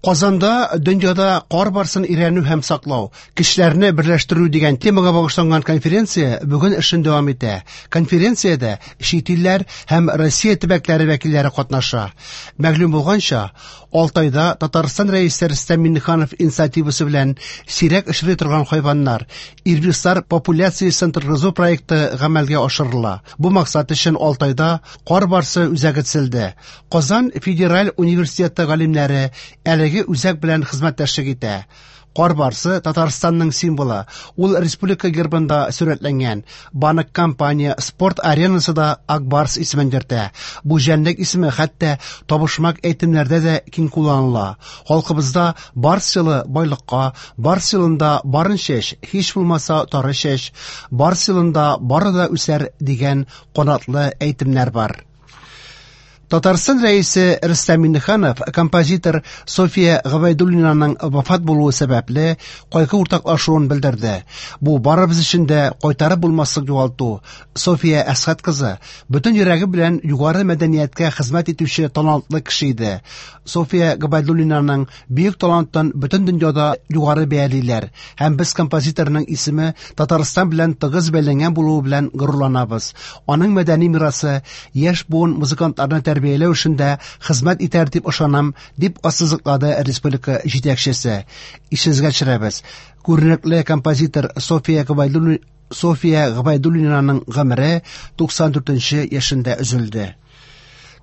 Казанда дөньяда кар барсын өйрәнү һәм саклау, кешеләрне берләштерү дигән темага багышланган конференция бүген эшен дәвам итә. Конференциядә чит илләр һәм Россия төбәкләре вәкилләре катнаша. Мәгълүм булганча, Алтайда Татарстан Рәисе Рөстәм Миңнеханов инициативасы белән сирәк очрый торган хайваннар, ирбислар популяциясен торгызу проекты гамәлгә ашырыла. Бу максат өчен Алтайда кар барсы үзәге төзелде. Казан федераль университеты галимнәре әлеге үзәк белән хезмәттәшлек итә. Кар барсы Татарстанның символы. Ул республика гербында сурәтләнгән. Банк компания спорт аренасы да Ак Барс исемен йөртә. Бу җәнлек исеме хәтта табышмак әйтемнәрдә дә киң кулланыла. Халкыбызда барс елы байлыкка, барс елында барын чәч, һич булмаса тары чәч, барс елында бары да үсәр дигән канатлы әйтемнәр бар. Татарстан Рәисе Рөстәм Миңнеханов композитор София Гобәйдуллинаның вафат булуы сәбәпле кайгы уртаклашуын белдерде. Бу барыбыз өчен дә кайтарып булмаслык югалту. София Әсхәт кызы бөтен йөрәге белән югары мәдәнияткә хезмәт итүче талантлы кеше иде. София Гобәйдуллинаның бөек талантын бөтен дөньяда югары бәялиләр һәм без композиторның исеме Татарстан белән тыгыз бәйләнгән булуы белән горурланабыз. Аның мәдәни мирасы яшь буын музыкантларны тәрбияләү эшендә хезмәт итәр дип ышанам, дип ассызыклады республика җитәкчесе. Исегезгә төшерәбез, күренекле композитор София Гобәйдуллинаның гомере 94 яшендә өзелде.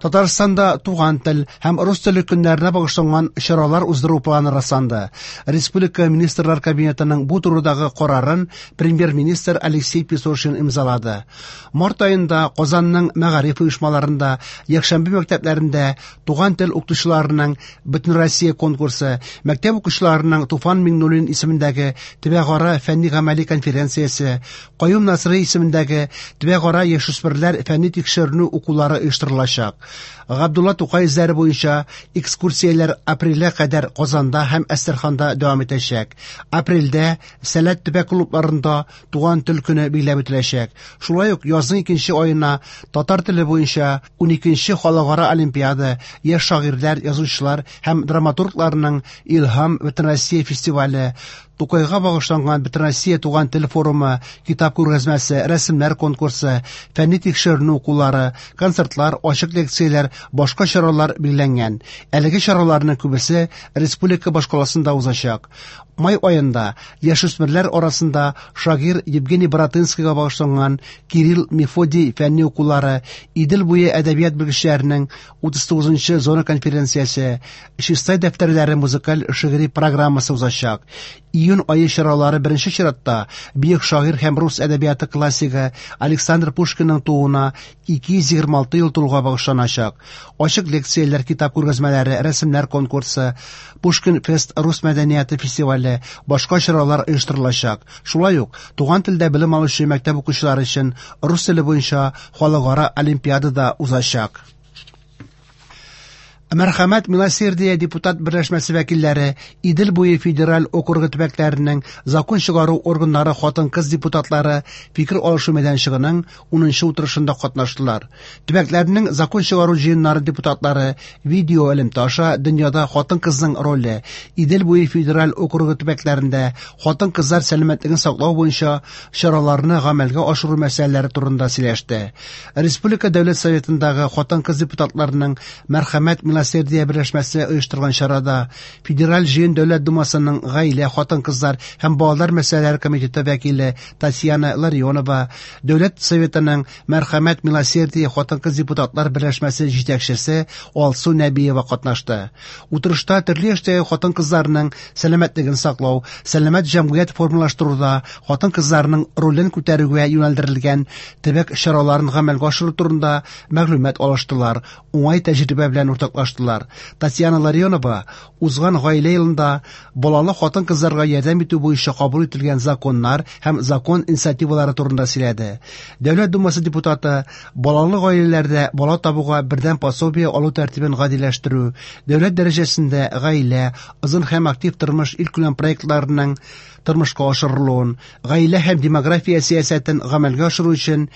Татарстанда туган тел һәм рус теле көннәренә багышланган чаралар уздыру планы расланды. Республика Министрлар Кабинетының бу турыдагы карарын премьер-министр Алексей Песошин имзалады. Март аенда Казанның мәгариф оешмаларында, якшәмбе мәктәпләрендә туган тел укытучыларының Бөтенроссия конкурсы, мәктәп укучыларының Туфан Миңнуллин исемендәге төбәкара фәнни-гамәли конференциясе, Каюм Насыйри исемендәге төбәкара яшүсмерләр фәнни тикшеренү укулары оештырылачак. Габдулла Тукай эзләре буенча экскурсияләр апрельгә кадәр Казанда һәм Әстерханда дәвам итәчәк. Апрельдә Сәләт төбәк клубларында Туган тел көне билгеләп үтеләчәк. Шулай ук язның икенче аена татар теле буенча 12нче халыкара олимпиада, яшь шагыйрьләр, язучылар һәм драматургларның Илһам Бөтенроссия фестивале, Тукайга багышланган Бөтенроссия туган тел форумы, китап күргәзмәсе, рәсемнәр конкурсы, фәнни тикшеренү укулары, концертлар, ачык лекцияләр, башка чаралар билгеләнгән. Әлеге чараларның күбесе республика башкаласында узачак. Май аенда яшүсмерләр арасында шагыйрь Евгений Баратынскийга багышланган Кирилл Мефодий фәнни укулары, Идел буе әдәбият белгечләренең 39нчы зона конференциясе, Чистай дәфтәрләре музыкаль шигъри программасы узачак. Июнь ае чаралары беренче чиратта бөек шагыйрь һәм рус әдәбияты классигы Александр Пушкинның тууына 226 ел тулуга багышланачак. Ачык лекцияләр, китап күргәзмәләре, рәсемнәр конкурсы, Пушкин фест рус мәдәнияте фестивале, башка чаралар оештырылачак. Шулай ук туган телдә белем алучы мәктәп укучылары өчен рус теле буенча халыкара олимпиада да узачак. Мәрхәмәт Милосердие депутат берләшмәсе вәкилләре Идел буе федераль округы төбәкләренең закон чыгару органнары хатын-кыз депутатлары фикер алышу мәйданчыгының 10нчы утырышында катнаштылар. Төбәкләрнең закон чыгару җыеннары депутатлары видео элемтә аша дөньяда хатын-кызның роле, Идел буе федераль округы төбәкләрендә хатын-кызлар сәламәтлеген саклау буенча чараларны гамәлгә ашыру мәсьәләләре турында сөйләште. Республика Дәүләт Советындагы хатын-кыз депутатларының Мәрхәмәт Милосердие берләшмәсе оештырган чарада Федераль Җыен Дәүләт Думасының гаилә, хатын-кызлар һәм балалар мәсьәләләре комитеты вәкиле Татьяна Ларионова, Дәүләт Советының Мәрхәмәт Милосердие хатын-кыз депутатлар берләшмәсе җитәкчесе Алсу Нәбиева катнашты. Утырышта төрле яшьтәге хатын-кызларның сәламәтлеген саклау, сәламәт җәмгыять формалаштыруда хатын-кызларның ролен күтәрүгә юнәлдерелгән төбәк чараларын гамәлгә ашыру турында мәгълүмат алыштылар, уңай тәҗрибә белән уртаклаштылар. Татьяна Ларионова узган гаилә елында балалы хатын-кызларга ярдәм итү буенча кабул ителгән законнар һәм закон инициативалары турында сөйләде. Дәүләт Думасы депутаты балалы гаиләләрдә бала табуга бердәм пособие алу тәртибен гадиләштерү, дәүләт дәрәҗәсендә гаилә, озын һәм актив тормыш илкүләм проектларының тормышка ашырылуын, гаилә һәм демография сәясәтен гамәлгә ашыру өчен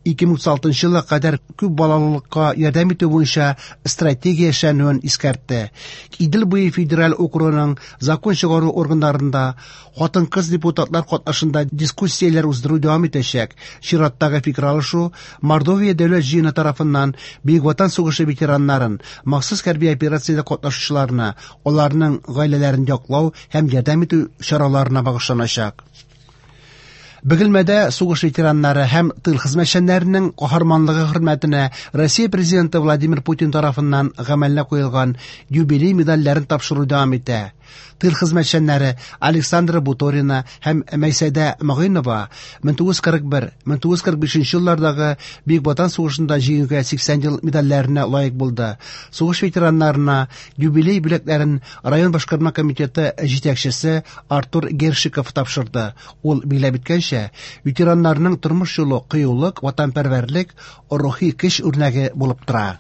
2036 елга кадәр күп балалылыкка ярдәм итү буенча стратегия эшләнүен искәртте. Идел буе федераль округының закон чыгару органнарында хатын-кыз депутатлар катнашында дискуссияләр уздыру дәвам итәчәк. Чираттагы фикер алышу Мордовия дәүләт җыены тарафыннан Бөек Ватан сугышы ветераннарын, махсус хәрби операциядә катнашучыларны, аларның гаиләләрен яклау һәм ярдәм итү чараларына багышланачак. Бөгелмәдә сугыш ветераннары һәм тыл хезмәтчәннәренең каһарманлыгы хөрмәтенә Россия Президенты Владимир Путин тарафыннан гамәлгә куелган юбилей медальләрен тапшыру дәвам итә. Тыл хезмәтчәннәре Александра Буторина һәм Мәйсәдә Могыйнова 1941-1945 еллардагы Бөек Ватан сугышында җиңүгә 80 ел медальләренә лаек булды. Сугыш ветераннарына юбилей бүләкләрен район башкарма комитеты җитәкчесе Артур Гершиков тапшырды. Ул билгеләп үткәнчә, ветераннарның тормыш юлы кыюлык, ватанпәрвәрлек, рухи көч үрнәге булып тора.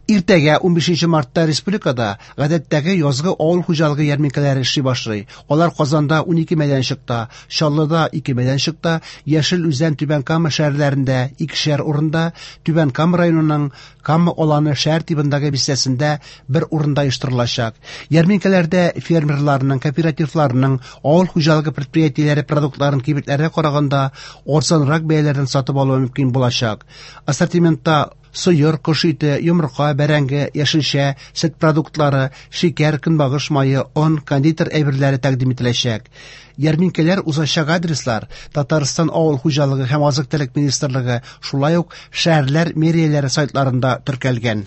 Иртәгә 15 мартта республикада гадәттәге язгы авыл хуҗалыгы ярминкәләре эшли башлый. Алар Казанда 12 мәйданчыкта, Чаллыда 2 мәйданчыкта, Яшел Үзән, Түбән Кама шәһәрләрендә икешәр урында, Түбән Кама районының Кама Аланы шәһәр тибындагы бистәсендә бер урында оештырылачак. Ярминкәләрдә фермерларның, кооперативларның, авыл хуҗалыгы предприятиеләре продуктларын кибетләргә караганда арзанрак бәяләрдән сатып алу мөмкин булачак. Ассортиментта сыер, кош ите, йомырка, бәрәңге, яшелчә, сөт продуктлары, шикәр, көнбагыш мае, он, кондитер әйберләре тәкъдим ителәчәк. Ярминкәләр узачак адреслар Татарстан авыл хуҗалыгы һәм азык-төлек министрлыгы, шулай ук шәһәрләр мэрияләре сайтларында теркәлгән.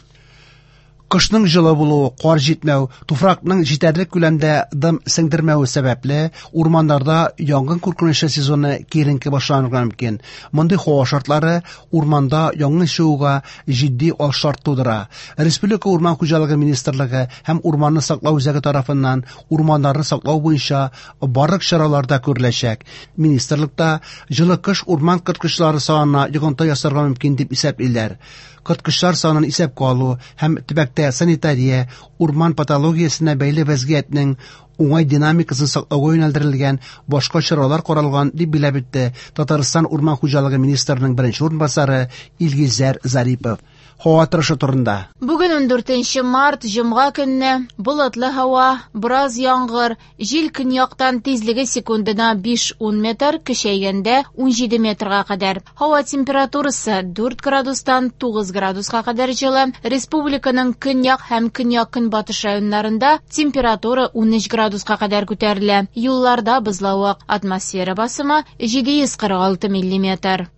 Кышның җылы булуы, кар җитмәү, туфракның җитәрлек күләмдә дым сеңдермәве сәбәпле, урманнарда янгын куркынычы сезоны киеренке башланырга мөмкин. Мондый һава шартлары урманда янгын чыгуга җитди алшарт тудыра. Республика урман хуҗалыгы министрлыгы һәм урманны саклау үзәге тарафыннан урманнарны саклау буенча барлык чаралар да күреләчәк. Министрлыкта җылы кыш урман корткычлары санына йогынты ясарга мөмкин дип исәплиләр. Корткычлар санын исәпкә алу һәм төбәктә санитария, урман патологиясенә бәйле вәзгыятьнең уңай динамикасын саклауга юнәлдерелгән башка чаралар каралган, дип билгеләп үтте Татарстан урман хуҗалыгы министрының беренче урынбасары Илгизәр Зарипов. Һава торышы турында. Бүген 14 март, җомга көнне, болытлы һава, бераз яңгыр, җил көньяктан тизлеге секундына 5-10 метр, көчәйгәндә 17 метрга кадәр. Һава температурасы 4 градустан 9 градуска кадәр җылы. Республиканың көньяк һәм көньяк-көнбатыш районнарында температура 13 градуска кадәр күтәрелә. Юлларда бозлавык, атмосфера басымы 746 миллиметр.